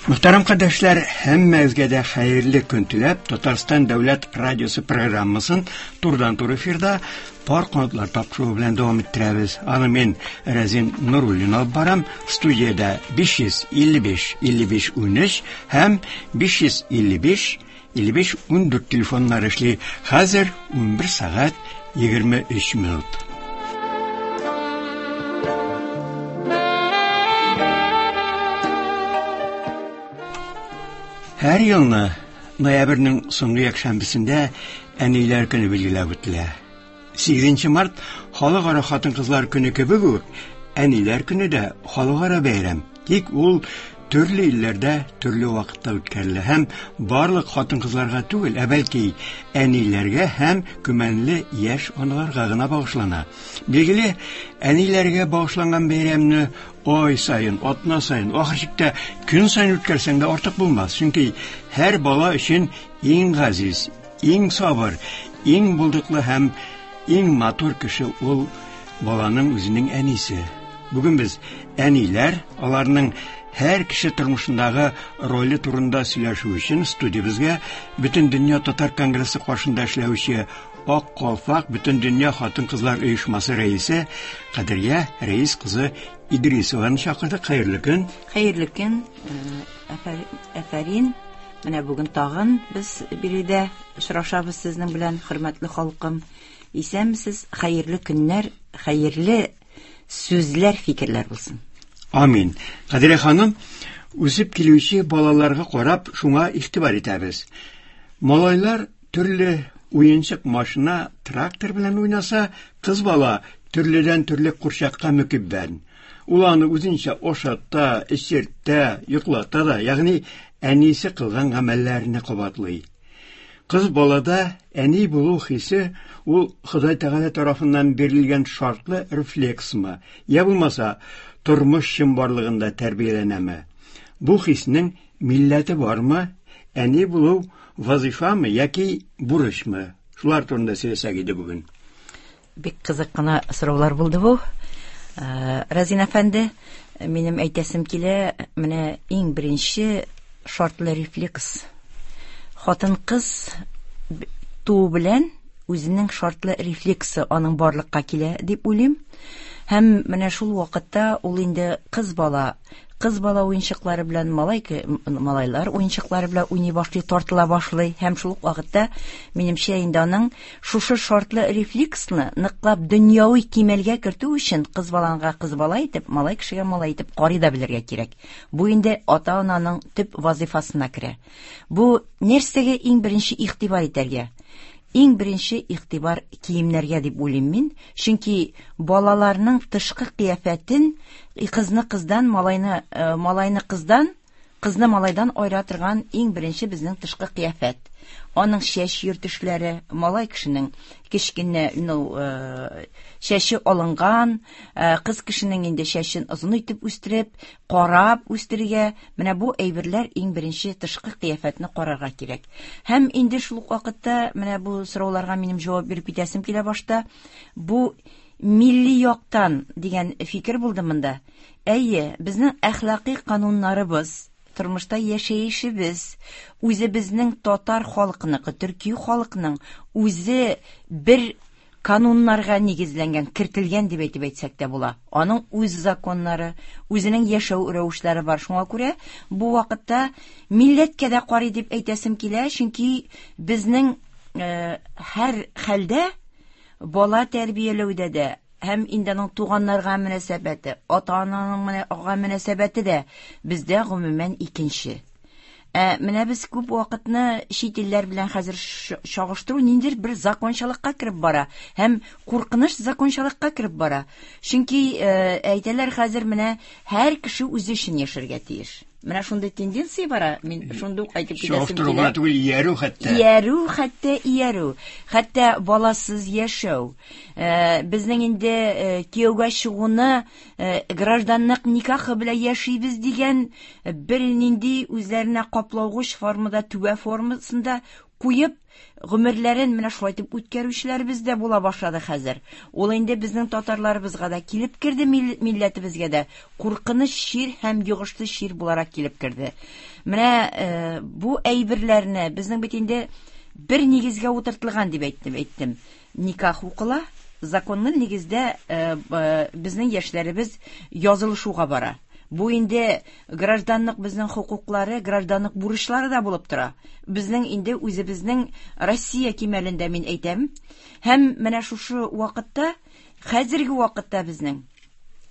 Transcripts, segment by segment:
Мөхтәрәм кардәшләр, һәммәгезгә дә хәерле көн теләп, Татарстан дәүләт радиосы программасын турыдан-туры эфирда Пар канатлар тапшыруы белән дәвам иттерәбез. Аны мин Рәзин Нуруллин алып барам. Студиядә 555 55 13 һәм 555 55 14 телефоннары эшли. Хәзер 11 сәгать 23 минут. Һәр елны ноябрьнең соңгы якшәмбесендә Әниләр көне билгеләп үтелә. 8 март Халыкара хатын-кызлар көне кебек үк, Әниләр көне дә халыкара бәйрәм. Тик ул төрле илләрдә төрле вакытта үткәрелә һәм барлык хатын-кызларга түгел, ә бәлки әниләргә һәм көмәнле яшь аналарга гына багышлана. Билгеле, әниләргә багышланган бәйрәмне ай саен, атна саен, ахыр чиктә көн саен үткәрсәң дә артык булмас, чөнки һәр бала өчен иң газиз, иң сабыр, иң булдыклы һәм иң матур кеше ул баланың үзенең әнисе. Бүген без әниләр, аларның һәр кеше тормышындагы роле турында сөйләшү өчен студиябезгә Бөтендөнья татар конгрессы каршында эшләүче Ак калфак Бөтендөнья хатын-кызлар оешмасы рәисе Кадрия Рәис кызы Идрисованы чакырдык. Хәерле көн. Хәерле көн. Әфәрин. Менә бүген тагын без биредә очрашабыз сезнең белән, хөрмәтле халкым. Исәнмесез, хәерле көннәр, хәерле сүзләр, фикерләр булсын. Амин. Кадрия ханым, үсеп килүче балаларга карап, шуңа игътибар итәбез. Малайлар төрле уенчык машина, трактор белән уйнаса, кыз бала төрледән-төрле курчакка мөкиббән. Ул аны үзенчә ашата, эчертә, йоклата да, ягъни әнисе кылган гамәлләрне кабатлый. Кыз балада әни булу хисе ул Ходай Тәгалә тарафыннан бирелгән шартлы рефлексмы, я булмаса, тормыш чынбарлыгында тәрбияләнәме? Бу хиснең милләте бармы? Әни булу вазифамы яки бурычмы? Шулар турында сөйләсәк иде бүген. Бик кызык кына сораулар булды бу. Разин әфәнде, минем әйтәсем килә, менә иң беренче шартлы рефлекс. Хатын-кыз туу белән үзенең шартлы рефлексы аның барлыкка килә дип уйлыйм. Һәм менә шул вакытта ул инде кыз бала Кыз бала уенчыклары белән малай малайлар уенчыклары белән уйный башлый, тартыла башлый һәм шул ук вакытта, минемчә, инде аның шушы шартлы рефлексны ныклап дөньяви кимәлгә кертү өчен кыз баланга кыз бала итеп, малай кешегә малай итеп карый да белергә кирәк. Бу инде ата-ананың төп вазыйфасына керә. Бу нәрсәгә иң беренче игътибар итәргә? Иң беренче игътибар киемнәргә дип уйлыйм мин, чөнки балаларның тышкы кыяфәтен кызны кыздан, малайны э, малайны кыздан, кызны малайдан аера торган иң беренче безнең тышкы кыяфәт. Аның чәч йөртешләре, малай кешенең кечкенә, ну, э, чәче алынган, э, кыз кешенең инде чәчен озын итеп үстереп, карап үстерергә, менә бу әйберләр иң беренче тышкы кыяфәтне карарга кирәк. Һәм инде шул ук вакытта менә бу сорауларга минем җавап биреп китәсем килә башта. Бу милли яктан дигән фикер булды монда. Әйе, безнең әхлакый кануннарыбыз, тормышта яшәешебез, үзебезнең татар халкыныкы, төрки халыкның үзе бер кануннарга нигезләнгән, кертелгән дип әйтеп әйтсәк тә була. Аның үз законнары, үзенең яшәү рәвешләре бар. Шуңа күрә бу вакытта милләткә дә карый дип әйтәсем килә, чөнки безнең э, һәр хәлдә бала тәрбияләүдә дә һәм инде аның туганнарга мөнәсәбәте, ата-ананың мөнәсәбәте дә бездә гомумән икенче. Ә менә без күп вакытны чит илләр белән хәзер чагыштыру ниндидер бер закончалыкка кереп бара һәм куркыныч закончалыкка кереп бара. Чөнки э, әйтәләр хәзер менә һәр кеше үзе өчен яшәргә тиеш. Менә шундый тенденция бара, мин шундый ук әйтеп китәсем килә. Чагыштыру түгел, иярү хәтта. Иярү хәтта иярү. Хәтта баласыз яшәү. Э, безнең инде э, кияүгә чыгуны Э, гражданлык никахы белән яшибез дигән э, бер нинди үзләренә каплаугыч формада, түбә формасында куеп, гомерләрен менә шулай итеп үткәрүчеләребез дә була башлады хәзер. Ул инде безнең татарларыбызга да килеп керде, милләтебезгә дә куркыныч чир һәм йогышлы чир буларак килеп керде. Менә э, бу әйберләрне безнең бит инде бер нигезгә утыртылган дип әйттем, әйттем. Никах укыла, законлы нигездә э, э, безнең яшьләребез язылышуга бара. Бу инде гражданлык безнең хокуклары, гражданлык бурычлары да булып тора. Безнең инде үзебезнең Россия кимәлендә мин әйтәм. Һәм менә шушы вакытта, хәзерге вакытта безнең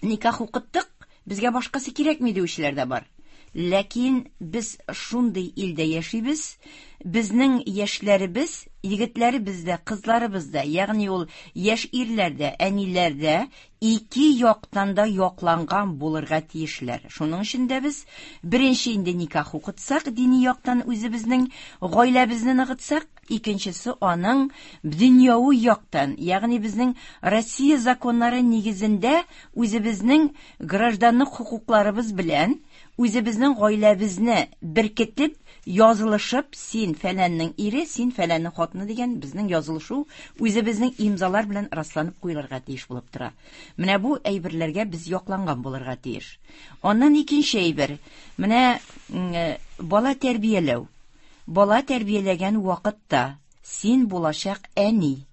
никах укыттык, безгә башкасы кирәкми диючеләр дә бар. Ләкин без шундый илдә яшибез, безнең яшьләребез, егетләребез дә, кызларыбыз да, ягъни ул яшь ирләр дә, әниләр дә ике яктан да якланган булырга тиешләр. Шуның өчен дә без беренче инде никах укытсак, дини яктан үзебезнең гаиләбезне ныгытсак, икенчесе аның дөньяви яктан, ягъни безнең Россия законнары нигезендә үзебезнең гражданлык хокукларыбыз белән үзебезнең гаиләбезне беркетеп, язылышып, син фәләннең ире, син фәләннең хатыны дигән безнең язылышу үзебезнең имзалар белән расланып куелырга тиеш булып тора. Менә бу әйберләргә без якланган булырга тиеш. Аннан икенче әйбер, менә э, бала тәрбияләү. Бала тәрбияләгән вакытта син булачак әни,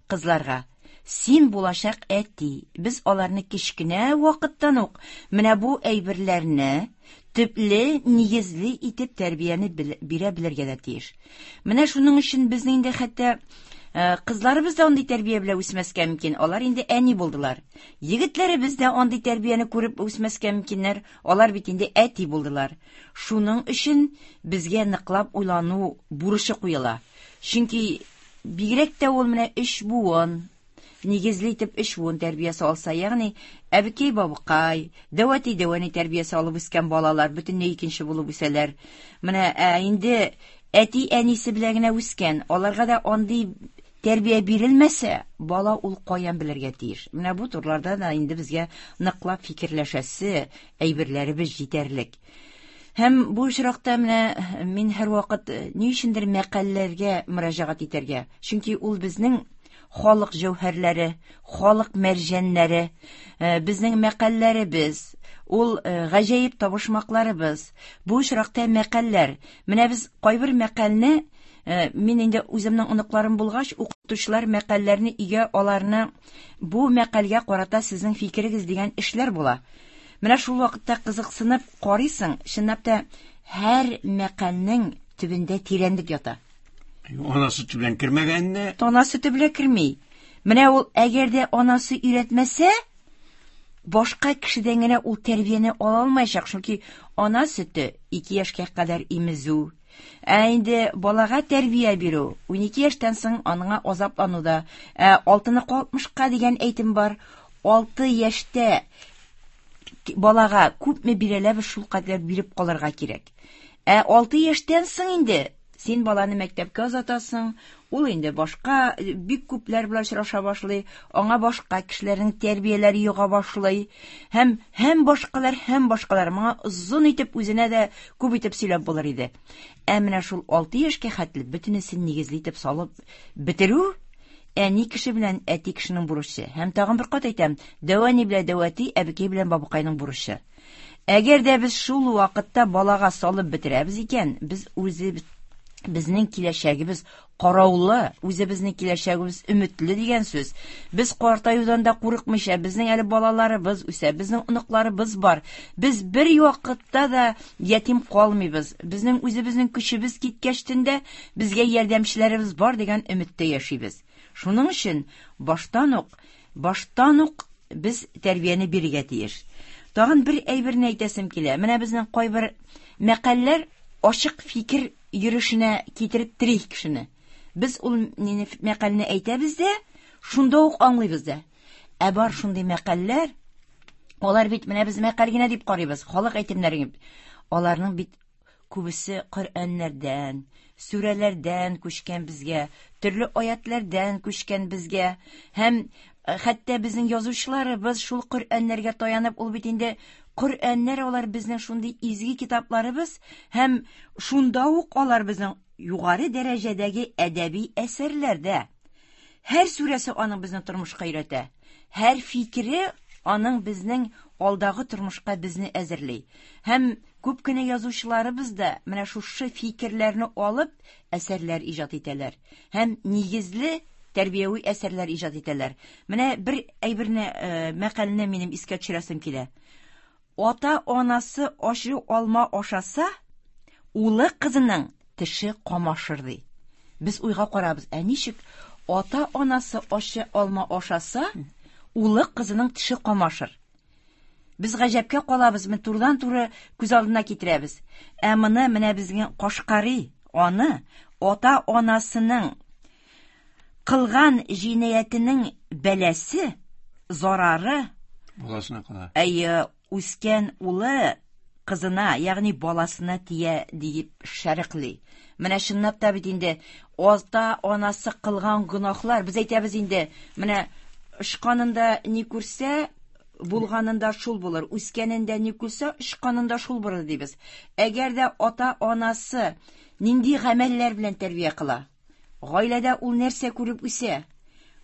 кызларга. Син булачак әти. Без аларны кечкенә вакыттан ук менә бу әйберләрне төпле, нигезле итеп тәрбияне бирә белергә дә тиеш. Менә шуның өчен безнең инде хәтта э, кызларыбыз да андый тәрбия белән үсмәскә мөмкин. Алар инде әни булдылар. Егетләребез дә андый тәрбияне күреп үсмәскә мөмкиннәр. Алар бит инде әти булдылар. Шуның өчен безгә ныклап уйлану бурычы куела. Чөнки бигрәк тә ул менә өч буын, нигезле итеп өч буын тәрбиясе алса, ягъни әбекәй бабыкай, дәү әти дәү әни тәрбиясе алып үскән балалар бөтенләй икенче булып үсәләр. Менә ә инде әти әнисе белән генә үскән, аларга да андый тәрбия бирелмәсә, бала ул каян белергә тиеш? Менә бу турларда да инде безгә ныклап фикерләшәсе әйберләребез җитәрлек. Һәм бу очракта менә мин һәрвакыт э, ни өчендер мәкальләргә мөрәҗәгать итәргә. Чөнки ул безнең халык җәүһәрләре, халык мәрҗәннәре, э, безнең мәкальләребез, ул э, гаҗәеп табышмакларыбыз. Бу очракта мәкальләр. Менә без кайбер мәкальне мин инде үземнең оныкларым булгач, укытучылар мәкальләрне өйгә аларны бу мәкальгә карата сезнең фикерегез дигән эшләр була. Менә шул вакытта кызыксынып карыйсың, чынлап та һәр мәкальнең төбендә тирәнлек ята. Ана сөте белән кермәгәнне. Ана сөте белән керми. Менә ул әгәр дә анасы өйрәтмәсә, башка кешедән генә ул тәрбияне ала алмаячак, чөнки ана сөте 2 яшькә кадәр имезү. Ә инде балага тәрбия бирү, 12 яшьтән соң аныңа азаплану да. Ә алтыныкы 60-ка дигән әйтем бар. 6 яшьтә балага күпме бирәләбез, шул кадәр биреп калырга кирәк. Ә 6 яшьтән соң инде син баланы мәктәпкә озатасың, ул инде башка бик күпләр белән очраша башлый, аңа башка кешеләрнең тәрбияләре йога башлый. Һәм һәм башкалар, һәм башкалар. Моңа озын итеп үзенә дә күп итеп сөйләп булыр иде. Ә менә шул 6 яшькә хәтле бөтенесен нигезле итеп салып бетерү әни кеше белән әти кешенең бурычы. Һәм тагын бер кат әйтәм, дәү әни белән дәү әти, әбекәй белән бабыкайның бурычы. Әгәр дә без шул вакытта балага салып бетерәбез икән, без үзебез безнең киләчәгебез караулы, үзебезнең киләчәгебез өметле дигән сүз. Без картаюдан да курыкмыйча, безнең әле балаларыбыз үсә, безнең оныкларыбыз бар. Без бер вакытта да ятим калмыйбыз. Безнең үзебезнең көчебез киткәчтен дә безгә ярдәмчеләребез бар дигән өметтә яшибез. Шуның өчен баштан ук, баштан ук без тәрбияне бирергә тиеш. Тагын бер әйберне әйтәсем килә. Менә безнең кайбер мәкальләр ачык фикер йөрешенә китереп тери кешене. Без ул мәкальне әйтәбез дә, шунда ук аңлыйбыз да. Ә бар шундый мәкальләр, алар бит менә без мәкаль генә дип карыйбыз, халык әйтемнәре. Аларның бит күбесе Коръәннәрдән, сүрәләрдән күчкән безгә, төрле аятләрдән күчкән безгә. Һәм э, хәтта безнең язучыларыбыз шул Коръәннәргә таянып, ул бит инде Коръәннәр алар безнең шундый изге китапларыбыз һәм шунда ук алар безнең югары дәрәҗәдәге әдәби әсәрләр дә. Һәр сүрәсе аның безне тормышка өйрәтә. Һәр фикере аның безнең алдагы тормышка безне әзерли. Һәм күп кенә язучыларыбыз да менә шушы фикерләрне алып әсәрләр иҗат итәләр. Һәм нигезле тәрбияви әсәрләр иҗат итәләр. Менә бер әйберне, э, мәкальне минем искә төшерәсем килә. Ата-анасы ачы алма ашаса, улы кызының теше камашыр ди. Без уйга карабыз, ә ничек ата-анасы ачы алма ашаса, улы кызының теше камашыр? Без гаҗәпкә калабыз, менә турыдан-туры күз алдына китерәбез. Ә моны менә безнең Кашкари, аны ата-анасының кылган җинаятенең бәласе, зарары баласына кала. Әйе, үскән улы кызына, ягъни баласына тия диеп шәрехли. Менә чынлап та бит инде ата-анасы кылган гөнаһлар, без әйтәбез инде, менә очканында ни күрсә, булганында шул булыр, үскәнендә ни күрсә, очканында шул булыр дибез. Әгәр дә ата-анасы нинди гамәлләр белән тәрбия кыла, гаиләдә ул нәрсә күреп үсә?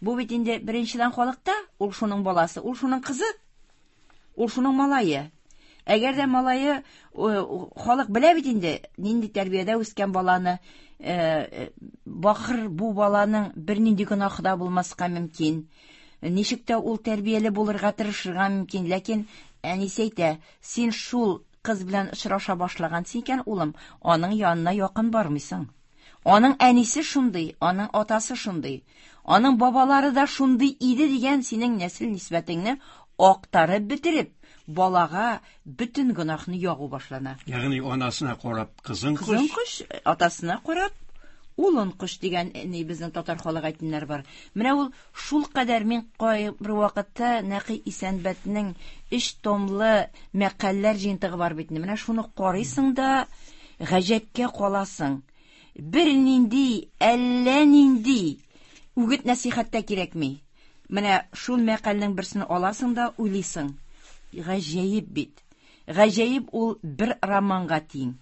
Бу бит инде беренчедән халыкта, ул шуның баласы, ул шуның кызы, ул шуның малае. Әгәр дә малае, халык белә бит инде, нинди тәрбиядә үскән баланы, бахыр бу баланың бернинди гөнаһы да булмаска мөмкин. Ничек тә ул тәрбияле булырга тырышырга мөмкин, ләкин әнисе әйтә, син шул кыз белән очраша башлагансың икән, улым, аның янына якын бармыйсың. Аның әнисе шундый, аның атасы шундый, аның бабалары да шундый иде дигән синең нәсел нисбәтеңне актарып бетереп, балага бөтен гөнаһны ягу башлана. Ягъни анасына карап кызын кош. Кызын кош, атасына карап улын кош дигән ни безнең татар халык әйтемнәре бар. Менә ул шул кадәр мин кайбер вакытта Нәкый Исәнбәтнең 3 томлы мәкальләр җыентыгы бар бит. Менә шуны карыйсың да гаҗәпкә каласың. Бернинди, әллә нинди үгет нәсихәт тә кирәкми. Менә шул мәкальнең берсен аласың да уйлыйсың. Гаҗәеп бит. Гаҗәеп ул бер романга тиң.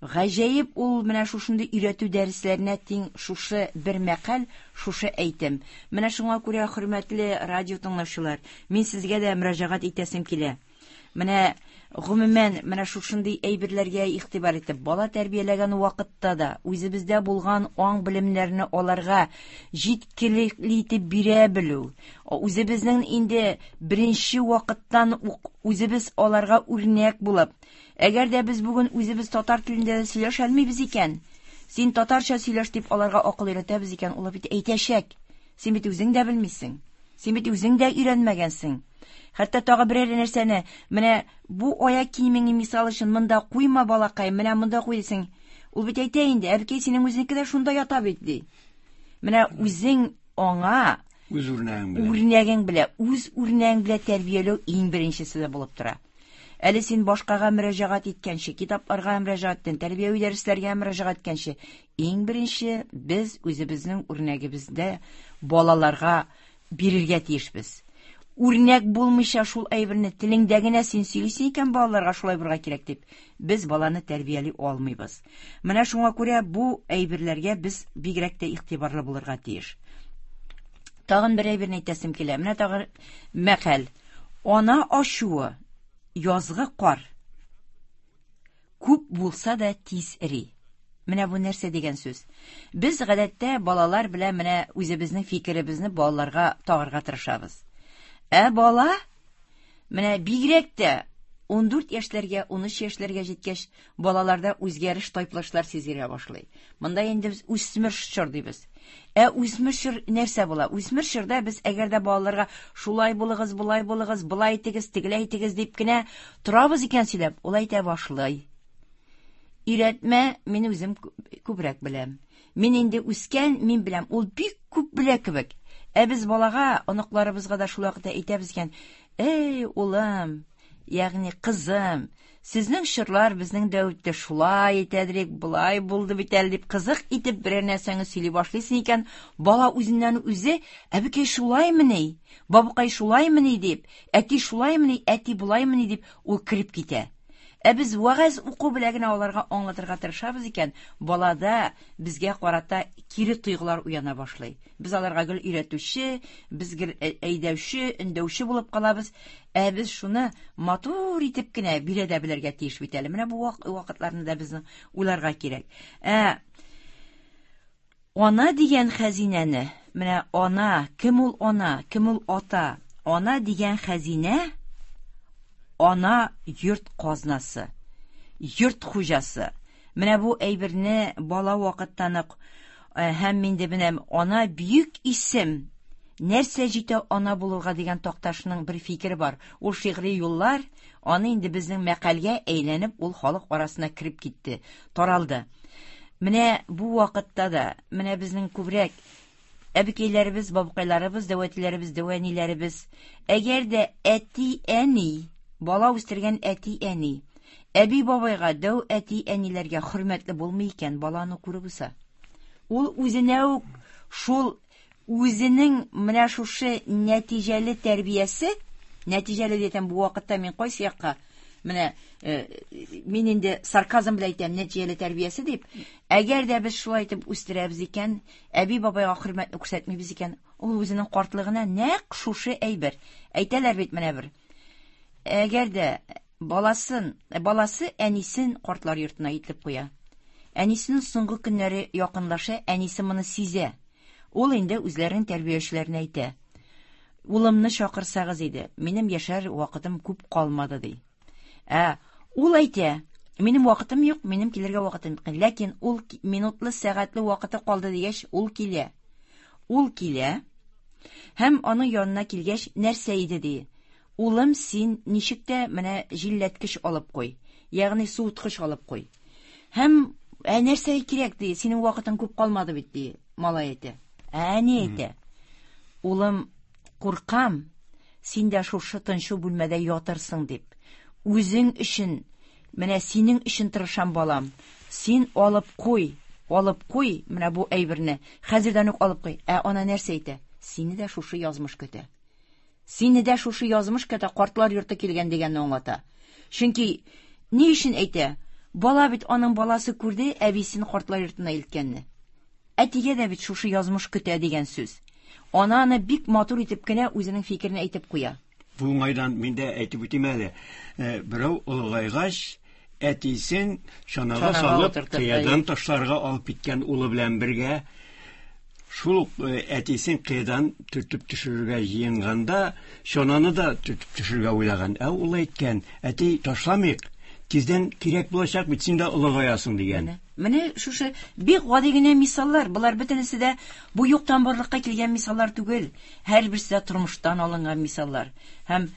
Гаҗәеп ул менә шушындый өйрәтү дәресләренә тиң шушы бер мәкаль, шушы әйтем. Менә шуңа күрә, хөрмәтле радио тыңлаучылар, мин сезгә дә мөрәҗәгать итәсем килә. Менә гомумән менә шушындый әйберләргә игътибар итеп, бала тәрбияләгән вакытта да үзебездә булган аң белемнәрне аларга җиткерлекле итеп бирә белү, үзебезнең инде беренче вакыттан ук үзебез аларга үрнәк булып, әгәр дә без бүген үзебез татар телендә дә сөйләшә алмыйбыз икән, син татарча сөйләш дип аларга акыл өйрәтәбез икән, ул бит әйтәчәк. Син бит үзең дә белмисең. Син бит үзең дә өйрәнмәгәнсең. Хәтта тагы берәр нәрсәне, менә бу аяк киемеңне мисал өчен монда куйма, балакай, менә монда куй дисең. Ул бит әйтә инде, әбекәй, синең үзеңнеке дә шунда ята бит, ди. Менә үзең аңа үз үрнәгең белән, үрнәгең белән, үз үрнәгең белән тәрбияләү иң беренчесе дә булып тора. Әле син башкага мөрәҗәгать иткәнче, китапларга мөрәҗәгать иткән, тәрбияви дәресләргә мөрәҗәгать иткәнче, иң беренче без үзебезнең үрнәгебездә балаларга бирергә тиешбез. Үрнәк булмыйча шул әйберне телеңдә генә син сөйлисең икән балаларга шулай булырга кирәк дип, без баланы тәрбияли алмыйбыз. Менә шуңа күрә бу әйберләргә без бигрәк тә игътибарлы булырга тиеш. Тагын бер әйберне әйтәсем килә. Менә тагын мәкаль. Ана ачуы язгы кар. Күп булса да тиз эри. Менә бу нәрсә дигән сүз? Без гадәттә балалар белән менә үзебезнең фикеребезне балаларга тагарга тырышабыз. Ә бала менә бигрәк тә 14 яшьләргә, 13 яшьләргә җиткәч, балаларда үзгәреш, тайпылышлар сизелә башлый. Монда инде без үсмер чор дибез. Ә үсмер чор нәрсә була? Үсмер чорда без әгәр дә балаларга шулай булыгыз, болай булыгыз, болай итегез, тегеләй итегез дип кенә торабыз икән сөйләп, ул әйтә башлый. Өйрәтмә, мин үзем күбрәк беләм. Мин инде үскән, мин беләм. Ул бик күп белә кебек. Ә без балага, оныкларыбызга да шул вакытта әйтәбез икән, "Эй, улым, ягъни кызым, Сезнең чорлар безнең дә үтте, шулай итәдерик, болай булды бит әле дип кызык итеп берәр нәрсәне сөйли башлыйсың икән, бала үзеннән үзе, әбекәй шулаймыни, бабакай шулаймыни дип, әти шулаймыни, әти болаймыни дип ул кереп китә. Ә без вәгазь уку белән генә аларга аңлатырга тырышабыз икән, балада безгә карата кире тойгылар уяна башлый. Без аларга гел өйрәтүче, без гел әйдәүче, өндәүче булып калабыз. Ә без шуны матур итеп кенә бирә дә белергә тиеш бит әле. Менә бу вакытларны да безнең уйларга кирәк. Ә ана дигән хәзинәне, менә ана, кем ул ана, кем ул ата? Ана дигән хәзинә ана йорт казнасы, йорт хуҗасы. Менә бу әйберне бала вакыттан ук һәм инде менә ана бөек исем. Нәрсә җитә ана булырга дигән Такташның бер фикере бар. Ул шигъри юллар, аны инде безнең мәкальгә әйләнеп, ул халык арасына кереп китте, таралды. Менә бу вакытта да, менә безнең күбрәк әбекәйләребез, бабакайларыбыз, дәү әтиләребез, дәү әниләребез, әгәр дә әти-әни, бала үстергән әти-әни, әби-бабайга, дәү әти-әниләргә хөрмәтле булмый икән, баланы күреп үсә. Ул үзенә үк шул үзенең менә шушы нәтиҗәле тәрбиясе, нәтиҗәле дигән бу вакытта мин кайсы якка менә мин инде сарказм белән әйтәм, нәтиҗәле тәрбиясе дип, әгәр дә без шулай итеп үстерәбез икән, әби бабайга хөрмәтне күрсәтмибез икән, ул үзенең картлыгына нәкъ шушы әйбер. Әйтәләр бит менә бер. Әгәр дә баласын, баласы әнисен картлар йортына илтеп куя. Әнисенең соңгы көннәре якынлаша, әнисе моны сизә. Ул инде үзләренең тәрбиячеләренә әйтә. Улымны чакырсагыз иде, минем яшәр вакытым күп калмады, ди. Ә ул әйтә, минем вакытым юк, минем килергә вакытым юк. Ләкин ул минутлы, сәгатьле вакыты калды дигәч, ул килә. Ул килә һәм аның янына килгәч, нәрсә иде ди? Улым, син ничек тә менә җилләткеч алып куй, ягъни суыткыч алып куй. Һәм ә нәрсә кирәк ди, синең вакытың күп калмады бит ди, малай әйтә. Ә әни әйтә. Улым, куркам, син дә шушы тынчу бүлмәдә ятырсың дип. Үзең өчен, менә синең өчен тырышам, балам. Син алып куй, алып куй менә бу әйберне. Хәзердән үк алып куй. Ә ана нәрсә әйтә? Сине дә шушы язмыш көтә. Сине дә шушы язмыш көтә, картлар йорты килгән дигәнне аңлата. Чөнки ни өчен әйтә? Бала бит аның баласы күрде әбисен картлар йортына илткәнне. Әтигә дә бит шушы язмыш көтә дигән сүз. Ана аны бик матур итеп кенә үзенең фикерен әйтеп куя. Бу уңайдан мин дә әйтеп үтим әле. Берәү олыгайгач, әтисен чанага салып, кыядан ташларга алып киткән улы белән бергә. Шул ук әтисен кыядан төртеп төшерергә җыенганда, чананы да төртеп төшерергә уйлаган. Ә ул әйткән, әти, ташламыйк, тиздән кирәк булачак бит, син дә олыгаясың дигән. Менә шушы бик гади генә мисаллар, болар бөтенесе дә бу юктан барлыкка килгән мисаллар түгел. Һәрберсе дә тормыштан алынган мисаллар. Һәм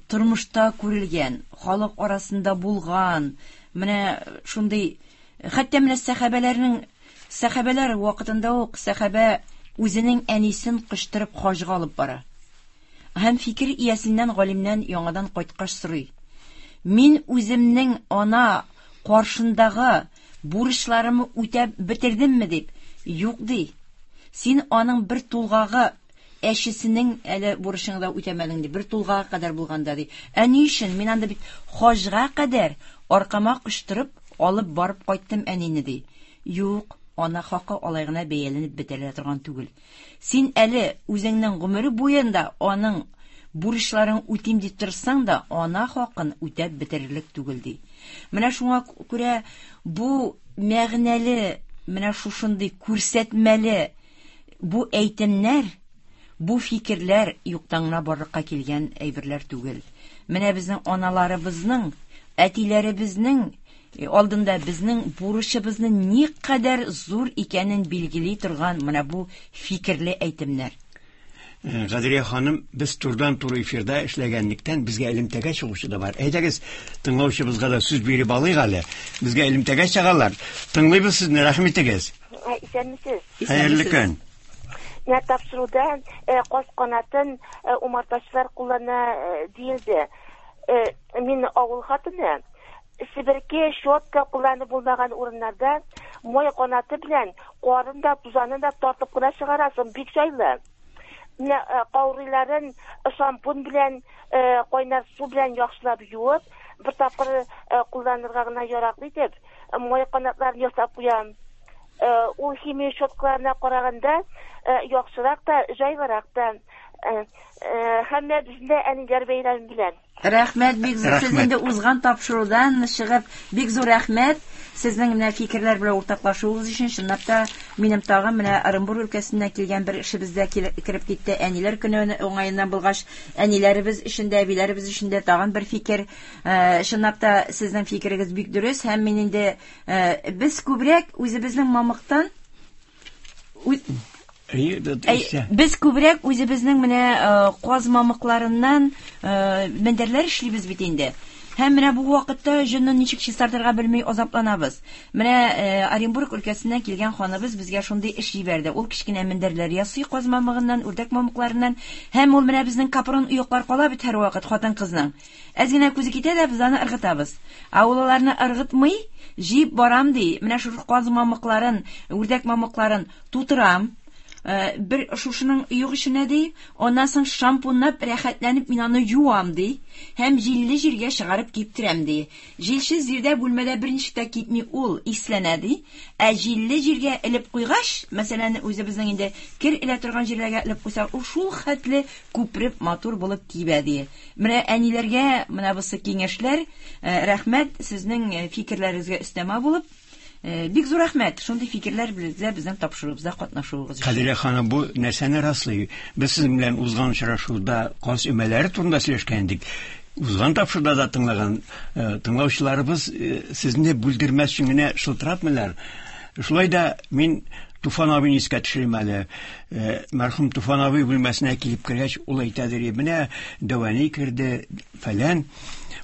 тормышта күрелгән, халык арасында булган, менә шундый, хәтта менә сәхабәләрнең, сәхабәләр вакытында ук сәхабә үзенең әнисен кычтырып хаҗга алып бара. Һәм фикер иясеннән, галимнән яңадан кайткач сорый. Мин үземнең ана каршындагы бурычларымны үтәп бетердемме дип. Юк ди. Син аның бер тулгагы әчесенең әле бурычыңны да үтәмәдең ди. Бер тулгага кадәр булганда ди. Ә ни өчен? Мин анда бит хаҗга кадәр аркама кычтырып алып барып кайттым әнине ди. Юк, ана хакы алай гына бәяләнеп бетерелә торган түгел. Син әле үзеңнең гомере буенда аның бурычларын үтим дип тырышсаң да, ана хакын үтәп бетерерлек түгел ди. Менә шуңа күрә бу мәгънәле, менә шушындый күрсәтмәле бу әйтемнәр, бу фикерләр юктан гына барлыкка килгән әйберләр түгел. Менә безнең аналарыбызның, әтиләребезнең алдында безнең бурычыбызның никадәр зур икәнен билгели торган менә бу фикерле әйтемнәр. Кадрия ханым, без турыдан-туры эфирда эшләгәнлектән безгә элемтәгә чыгучы да бар. Әйдәгез, тыңлаучыбызга да сүз биреп алыйк әле. Безгә элемтәгә чыгалар. Тыңлыйбыз сезне, рәхим итегез. Исәнмесез. Хәерле көн. Менә тапшыруда каз канатын умартачылар куллана диелде. Мин авыл хатыны. Себерке, щетка кулланып булмаган урыннарда май канаты белән карын да, тузанын да тартып кына чыгарасың, бик җайлы. Менә каурыйларын шампунь белән, кайнар су белән яхшылап юып, бер тапкыр кулланырга гына яраклы итеп, май канатларын ясап куям. Ул химия щеткаларына караганда яхшырак та, җайлырак та. Һәммәбезне дә әниләр бәйрәме белән. Рәхмәт бик зур. Сез инде узган тапшырудан чыгып, бик зур рәхмәт. Сезнең менә фикерләр белән уртаклашуыгыз өчен. Чынлап та, минем тагын менә Ырынбур өлкәсеннән килгән бер эшебез дә кереп китте. Әниләр көне уңаеннан булгач, әниләребез өчен дә, әбиләребез өчен дә тагын бер фикер. Э, чынлап та, сезнең фикерегез бик дөрес һәм мин инде э, без күбрәк үзебезнең мамыктан Без күбрәк үзебезнең менә э, каз мамыкларыннан э, мендәрләр эшлибез бит инде. Һәм менә бу вакытта җонны ничек чистартырга белми азапланабыз. Менә э, Оренбург өлкәсеннән килгән ханыбыз безгә шундый эш җибәрде. Ул кечкенә мендәрләр ясый каз мамыгыннан, үрдәк мамыкларыннан. Һәм ул менә безнең капрон оеклар кала бит һәрвакыт хатын-кызның. Әз генә күзе китә дә, без аны ыргытабыз. Ә ул аларны ыргытмый, җыеп барам, ди. Менә шушы каз мамыкларын, үрдәк мамыкларын тутырам. Э, бер шушының оек эченә, ди. Аннан соң шампунлап, рәхәтләнеп мин аны юам, ди. Һәм җилле җиргә чыгарып киптерәм, ди. Җилсез җирдә бүлмәдә берничек тә кипми ул, исләнә, ди. Ә җилле җиргә элеп куйгач, мәсәлән, үзебезнең инде кер элә торган җирләргә элеп куйсак, ул шул хәтле күпереп матур булып кибә, ди. Менә әниләргә менә бусы киңәшләр. Э, рәхмәт сезнең э, фикерләрегезгә өстәмә булып. Э, бик зур рәхмәт шундый фикерләр белән безнең тапшыруыбызда катнашуыгыз өчен. Кадирә ханым, бу нәрсәне раслый? Без сезнең белән узган очрашуда каз өмәләре турында сөйләшкән идек. Узган тапшыруда да тыңлаган тыңлаучыларыбыз сезне бүлдермәс өчен генә шылтыратмыйлар. Шулай да мин Туфан абыйны искә төшерим әле. Э, мәрхүм Туфан абый бүлмәсенә килеп кергәч, ул әйтәдер, менә дәвәни керде, фәлән.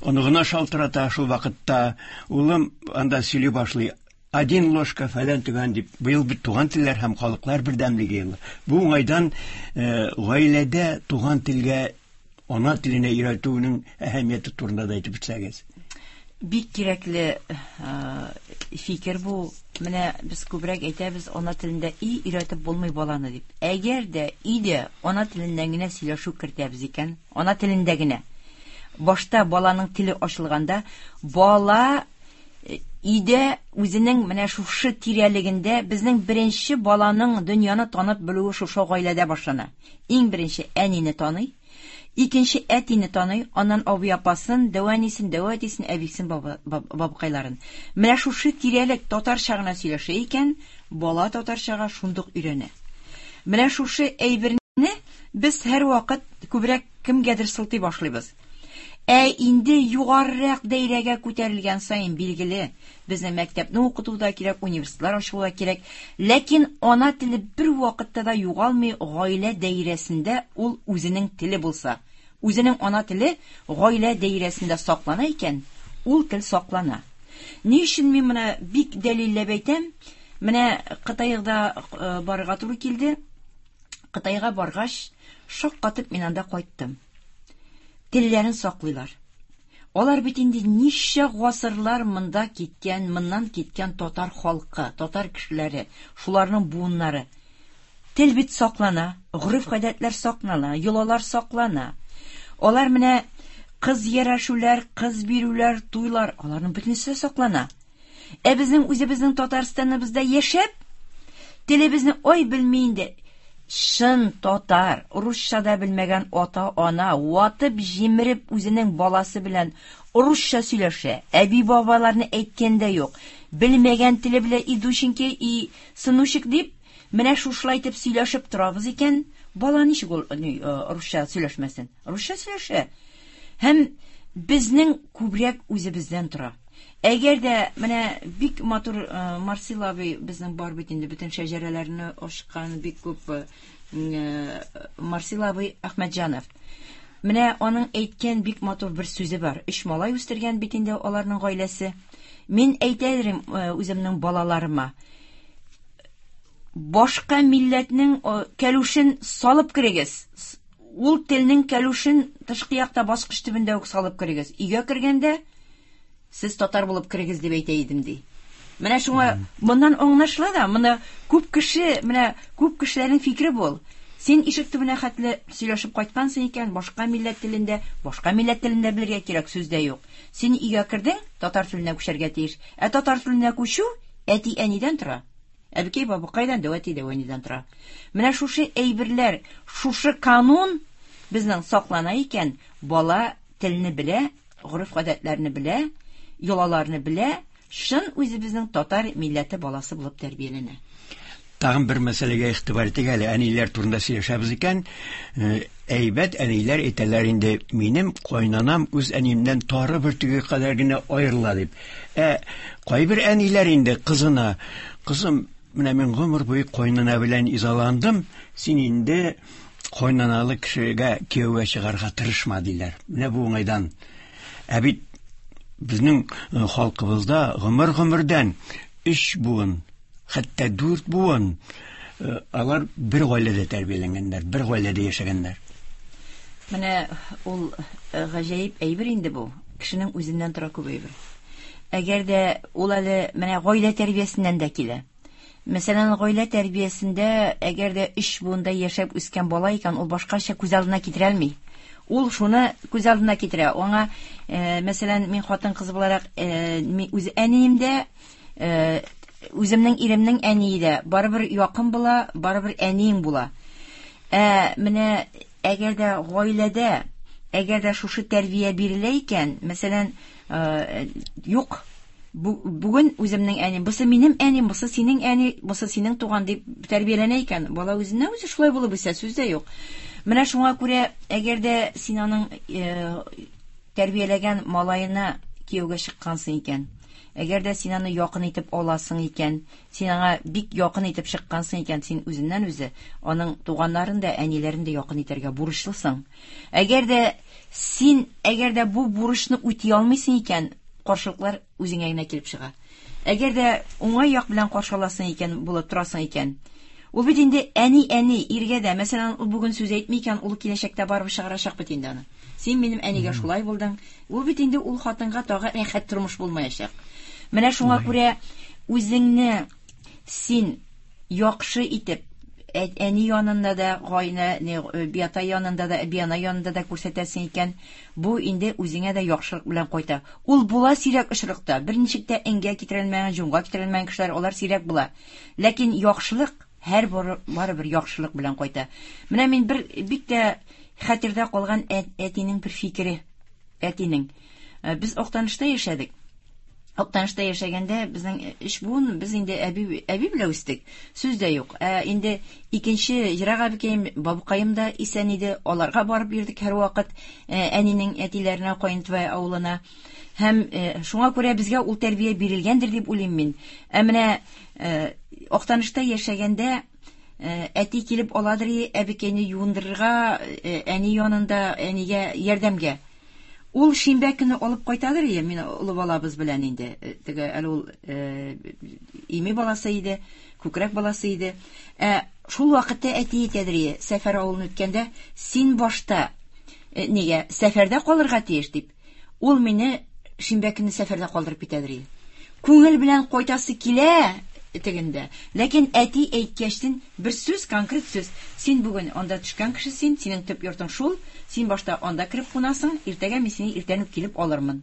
Оныгына шалтырата шул вакытта. Улым анда сөйли башлый. Один ложка фәлән төгән дип. Быел бит туган телләр һәм халыклар бердәмлеге елы. Бу уңайдан э, гаиләдә туган телгә ана теленә өйрәтүнең әһәмияте турында да әйтеп үтсәгез. Бик кирәкле э, фикер бу. Менә без күбрәк әйтәбез, ана телендә и өйрәтеп булмый баланы дип. Әгәр дә өйдә ана теленнән генә сөйләшү кертәбез икән, ана телендә генә. Башта баланың теле ачылганда, бала э, өйдә үзенең менә шушы тирәлегендә безнең беренче баланың дөньяны танып белүе шушы гаиләдә башлана. Иң беренче әнине таный, икенче әтине таный, аннан абый апасын, дәү әнисен, дәү әтисен, әбисен, бабакайларын. Менә шушы тирәлек татарча гына сөйләшә икән, бала татарчага шундук өйрәнә. Менә шушы әйберне без һәрвакыт күбрәк кемгәдер сылтый башлыйбыз. Ә инде югарырак даирәгә күтәрелгән саен, билгеле, безнең мәктәпне укыту да кирәк, университетлар ачу да кирәк. Ләкин ана теле бер вакытта да югалмый, гаилә даирәсендә ул үзенең теле булса. Үзенең ана теле гаилә даирәсендә саклана икән, ул тел саклана. Ни өчен мин моны бик дәлилләп әйтәм? Менә Кытайда э, барырга туры килде. Кытайга баргач, шаккатып мин анда кайттым. Телләрен саклыйлар. Алар бит инде ничә гасырлар монда киткән, моннан киткән татар халкы, татар кешеләре, шуларның буыннары. Тел бит саклана, гореф-гадәтләр саклана, йолалар саклана. Алар менә кыз ярәшүләр, кыз бирүләр, туйлар, аларның бөтенесе саклана. Ә безнең үзебезнең Татарстаныбызда яшәп, телебезне ай белми инде. Чын татар, русча да белмәгән ата-ана ватып җимереп үзенең баласы белән русча сөйләшә. Әби-бабаларны әйткән дә юк. Белмәгән теле белән и душеньки, и сынучек дип, менә шушылай итеп сөйләшеп торабыз икән, бала ничек ул э, русча сөйләшмәсен? Русча сөйләшә. Һәм безнең күбрәк үзебездән тора. Әгәр дә менә бик матур э, Марсил абый безнең бар бит инде бөтен шәҗәрәләрне ачкан бик күп э, э, Марсил абый Әхмәтҗанов. Менә аның әйткән бик матур бер сүзе бар. Өч малай үстергән бит инде аларның гаиләсе. Мин әйтә идем үземнең балаларыма. Башка милләтнең кәлүшен салып керегез. Ул телнең кәлүшен тышкы якта баскыч төбендә үк салып керегез. Өйгә кергәндә. Сез татар булып керегез дип әйтә идем, ди. Менә шуңа моннан аңлашыла да, моны күп кеше, менә күп кешеләрнең фикере бул. Син ишек төбенә хәтле сөйләшеп кайткансың икән, башка милләт телендә, башка милләт телендә белергә кирәк, сүз дә юк. Син өйгә кердең, татар теленә күчәргә тиеш. Ә татар теленә күчү әти-әнидән тора. Әбекәй бабыкайдан, дәү әти дәү әнидән тора. Менә шушы әйберләр, шушы канун безнең саклана икән, бала телне белә, гореф-гадәтләрне белә, йолаларны белә, чын үзебезнең татар милләте баласы булып тәрбияләнә. Тагын бер мәсьәләгә игътибар итик әле, әниләр турында сөйләшәбез икән, әйбәт әниләр әйтәләр инде, минем кайнанам үз әниемнән тары бөртеге кадәр генә аерыла дип. Ә кайбер әниләр инде кызына, кызым, менә мин гомер буе кайнана белән изаландым, син инде кайнаналы кешегә кияүгә чыгарга тырышма, диләр. Менә бу уңайдан. Ә бит безнең халкыбызда гомер-гомердән өч буын, хәтта дүрт буын алар бер гаиләдә тәрбияләнгәннәр, бер гаиләдә яшәгәннәр. Менә ул гаҗәеп әйбер инде бу. Кешенең үзеннән тора күп әйбер. Әгәр дә ул әле менә гаилә тәрбиясеннән дә килә. Мәсәлән, гаилә тәрбиясендә әгәр дә өч буында яшәп үскән бала икән, ул башкача күз алдына китерә алмый. Ул шуны күз алдына китерә. Аңа, мәсәлән, мин хатын-кыз буларак, үз әнием дә, үземнең иремнең әние дә барыбер якын була, барыбер әниең була. Ә менә әгәр дә гаиләдә, әгәр дә шушы тәрбия бирелә икән, мәсәлән, юк, бүген үземнең әнием, бусы минем әнием, бусы синең әни, бусы синең туган дип тәрбияләнә икән, бала үзеннән үзе шулай булып үсә, сүз дә юк. Менә шуңа күрә, әгәр дә син аның тәрбияләгән малаена кияүгә чыккансың икән, әгәр дә син аны якын итеп аласың икән, син аңа бик якын итеп чыккансың икән, син үзеннән үзе аның туганнарын да, әниләрен дә якын итәргә бурычлысың. Әгәр дә син, әгәр дә бу бурычны үти алмыйсың икән, каршылыклар үзеңә генә килеп чыга. Әгәр дә уңай як белән каршы аласың икән, булып торасың икән, ул бит инде әни, әни, иргә дә, мәсәлән, ул бүген сүз әйтми икән, ул киләчәктә барыбер чыгарачак бит инде аны. Син минем әнигә шулай булдың. Ул бит инде ул хатынга тагы рәхәт тормыш булмаячак. Менә шуңа күрә үзеңне син яхшы итеп әни янында да, гайнә, биата янында да, биана янында да күрсәтәсең икән, бу инде үзеңә дә яхшылык белән кайта. Ул була сирәк очракта, берничек тә эңгә китерелмәгән, җонга китерелмәгән кешеләр, алар сирәк була. Ләкин яхшылык һәр барыбер яхшылык белән кайта. Менә мин бер бик тә хәтердә калган әтинең бер фикере. Әтинең. Без Актанышта яшәдек. Актанышта яшәгәндә безнең өч буын, без инде әби, әби белән үстек. Сүз дә юк. Ә инде икенче ерак әбекәем, бабыкаем да исән иде. Аларга барып йөрдек һәрвакыт, әнинең әтиләренә, Каентвай авылына. Һәм шуңа күрә безгә ул тәрбия бирелгәндер дип уйлыйм мин. Ә менә Актанышта яшәгәндә әти килеп аладыр, әбекәйне юындырырга, әни янында, әнигә ярдәмгә. Ул шимбә көне алып кайтадыр, мин олы балабыз белән инде. Теге әле ул ими баласы иде, күкрәк баласы иде. Ә шул вакытта әти әйтәдер, сәфәр авылын үткәндә, син башта нигә сәфәрдә калырга тиеш дип. Ул мине шимбә көне сәфәрдә калдырып китәдер. Күңел белән кайтасы килә тегендә. Ләкин әти әйткәчтен бер сүз, конкрет сүз. Син бүген анда төшкән кеше син, синең төп йортың шул, син башта анда кереп кунасың, иртәгә мин сине иртән үк килеп алырмын.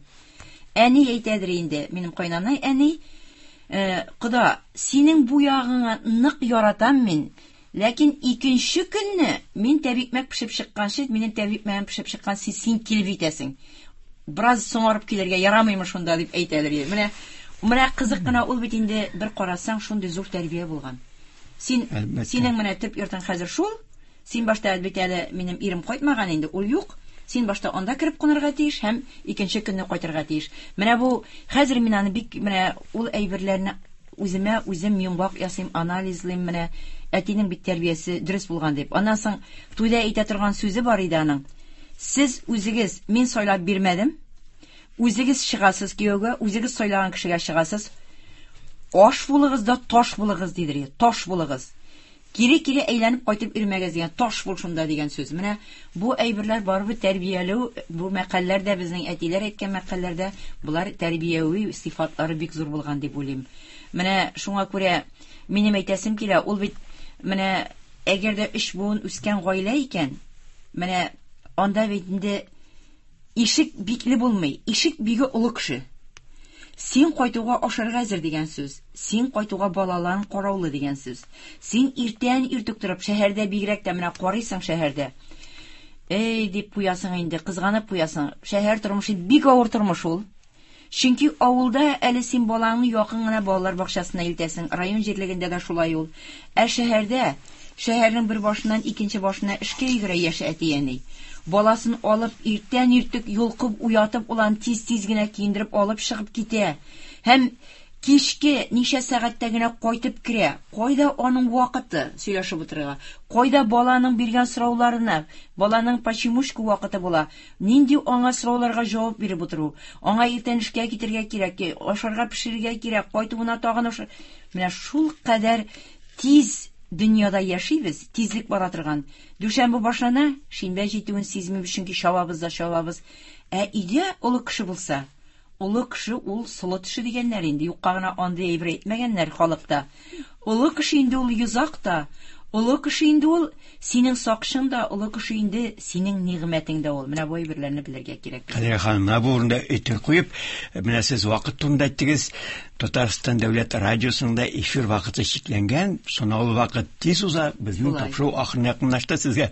Әни әйтәдер инде, минем кайнанай әни, кода, синең бу ягыңа нык яратам мин, ләкин икенче көнне мин тәбикмәк пешеп чыкканчы, минем тәбикмәгем пешеп чыкканчы син килеп җитәсең. Бераз соңарып килергә ярамыймы шунда дип әйтәдер. Менә менә кызык кына ул бит инде бер карасаң шундый зур тәрбия булган. Син синең менә төп йортың хәзер шул. Син башта бит әле минем ирем кайтмаган инде, ул юк. Син башта анда кереп кунарга тиеш һәм икенче көнне кайтырга тиеш. Менә бу хәзер мин аны бик менә ул әйберләрне үземә үзем йомгак ясыйм, анализлыйм, менә әтинең бит тәрбиясе дөрес булган дип. Аннан соң туйда әйтә торган сүзе бар иде аның. Сез үзегез, мин сайлап бирмәдем. Үзегез чыгасыз кияүгә, үзегез сайлаган кешегә чыгасыз. Аш булыгыз да таш булыгыз дидер. Таш булыгыз. Кире-кире әйләнеп кайтып йөрмәгез дигән, таш бул шунда дигән сүз. Менә бу әйберләр барыбер тәрбияләү, бу мәкальләр дә безнең әтиләр әйткән мәкальләр дә, болар тәрбияви сыйфатлары бик зур булган дип уйлыйм. Менә шуңа күрә минем әйтәсем килә, ул бит менә әгәр дә өч буын үскән гаилә икән, менә анда бит инде ишек бикле булмый, ишек биге олы кеше. Син кайтуга ашарга әзер дигән сүз. Син кайтуга балаларың караулы дигән сүз. Син иртән иртүк торып, шәһәрдә бигрәк тә менә карыйсың шәһәрдә. Эй, дип куясың инде, кызганып куясың. Шәһәр тормышы бик авыр тормыш ул. Чөнки авылда әле син балаңны якын гына балалар бакчасына илтәсең, район җирлегендә дә шулай ул. Ә шәһәрдә, шәһәрнең бер башыннан икенче башына эшкә йөгерә яшь әти-әни. Баласын алып, иртән иртүк йолкып уятып, улан тиз-тиз генә киендереп алып чыгып китә. Һәм кичке ничә сәгатьтә генә кайтып керә. Кайда аның вакыты сөйләшеп утырырга? Кайда баланың биргән сорауларына, баланың почемушка вакыты була? Нинди аңа сорауларга җавап биреп утыру? Аңа иртән эшкә китергә кирәк, ашарга пешерергә кирәк, кайтуына тагын аша. Менә шул кадәр тиз дөньяда яшибез, тизлек бара торган. Дүшәмбе башлана, шимбә җитүен сизмибез, чөнки чабабыз да чабабыз. Ә өйдә олы кеше булса, олы кеше ул солы теше дигәннәр инде, юкка гына андый әйбер әйтмәгәннәр халыкта. Олы кеше инде ул йозак та, олы кеше инде ул синең сакчың да, олы кеше инде синең нигъмәтең дә ул. Менә бу әйберләрне белергә кирәк. Кадрия ханым, менә бу урында өтер куеп, менә сез вакыт турында әйттегез. Татарстан дәүләт радиосында эфир вакыты чикләнгән, санаулы вакыт тиз уза. Безнең тапшыру ахырына якынлашты. Сезгә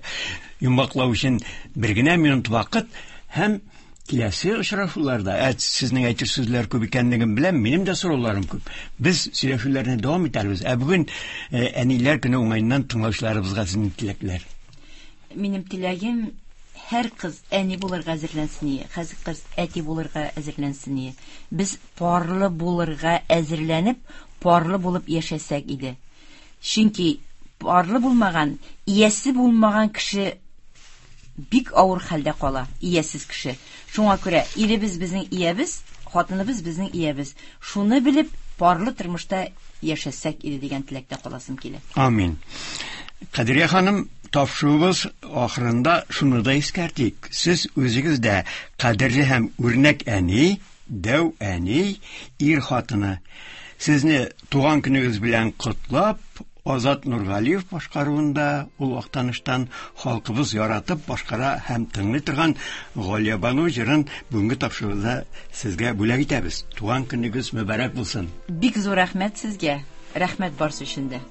йомгаклау өчен бер генә минут вакыт һәм киләсе очрашуларда, ә сезнең әйтер сүзләр күп икәнлеген беләм, минем дә сорауларым күп. Без сөйләшүләрне дәвам итәрбез. Ә бүген әниләр көне уңаеннан тыңлаучыларыбызга сезнең теләкләр. Минем теләгем һәр кыз әни булырга әзерләнсен, һәр кыз әти булырга әзерләнсен. Без парлы булырга әзерләнеп, парлы булып яшәсәк иде. Чөнки парлы булмаган, иясе булмаган кеше бик авыр хәлдә кала, иясез кеше. Шуңа күрә иребез безнең иябез, хатыныбыз безнең иябез. Шуны белеп, парлы тормышта яшәсәк иде дигән теләктә каласым килә. Амин. Кадрия ханым, тапшыруыбыз ахырында шуны да искәртик. Сез үзегез дә кадерле һәм үрнәк әни, дәү әни, ир хатыны. Сезне туган көнегез белән котлап, Азат Нургалиев башкаруында ул Актаныштан халкыбыз яратып башкара һәм тыңлый торган Галиябану җырын бүгенге тапшыруда сезгә бүләк итәбез. Туган көнегез мөбарәк булсын. Бик зур рәхмәт сезгә. Рәхмәт барсы өчен дә.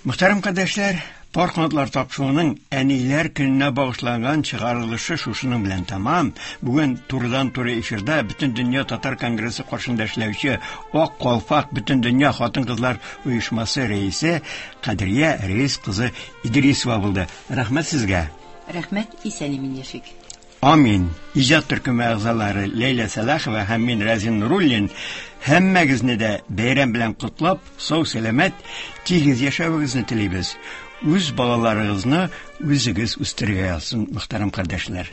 Мөхтәрәм кардәшләр, Пар канатлар тапшыруының әниләр көненә багышланган чыгарылышы шушының белән тәмам. Бүген турыдан-туры эфирда Бөтендөнья татар конгрессы каршында эшләүче Ак калфак Бөтендөнья хатын-кызлар оешмасы рәисе Кадрия Рәис кызы Идрисова булды. Рәхмәт сезгә. Рәхмәт, исән-имин яшик. Амин. Иҗат төркеме әгъзалары Ләйлә Сәлахова һәм мин Рәзин Нуруллин һәммәгезне дә бәйрәм белән котлап, сау-сәламәт, тигез яшәвегезне телибез. Үз балаларыгызны үзегез үстерергә язсын, мөхтәрәм кардәшләр.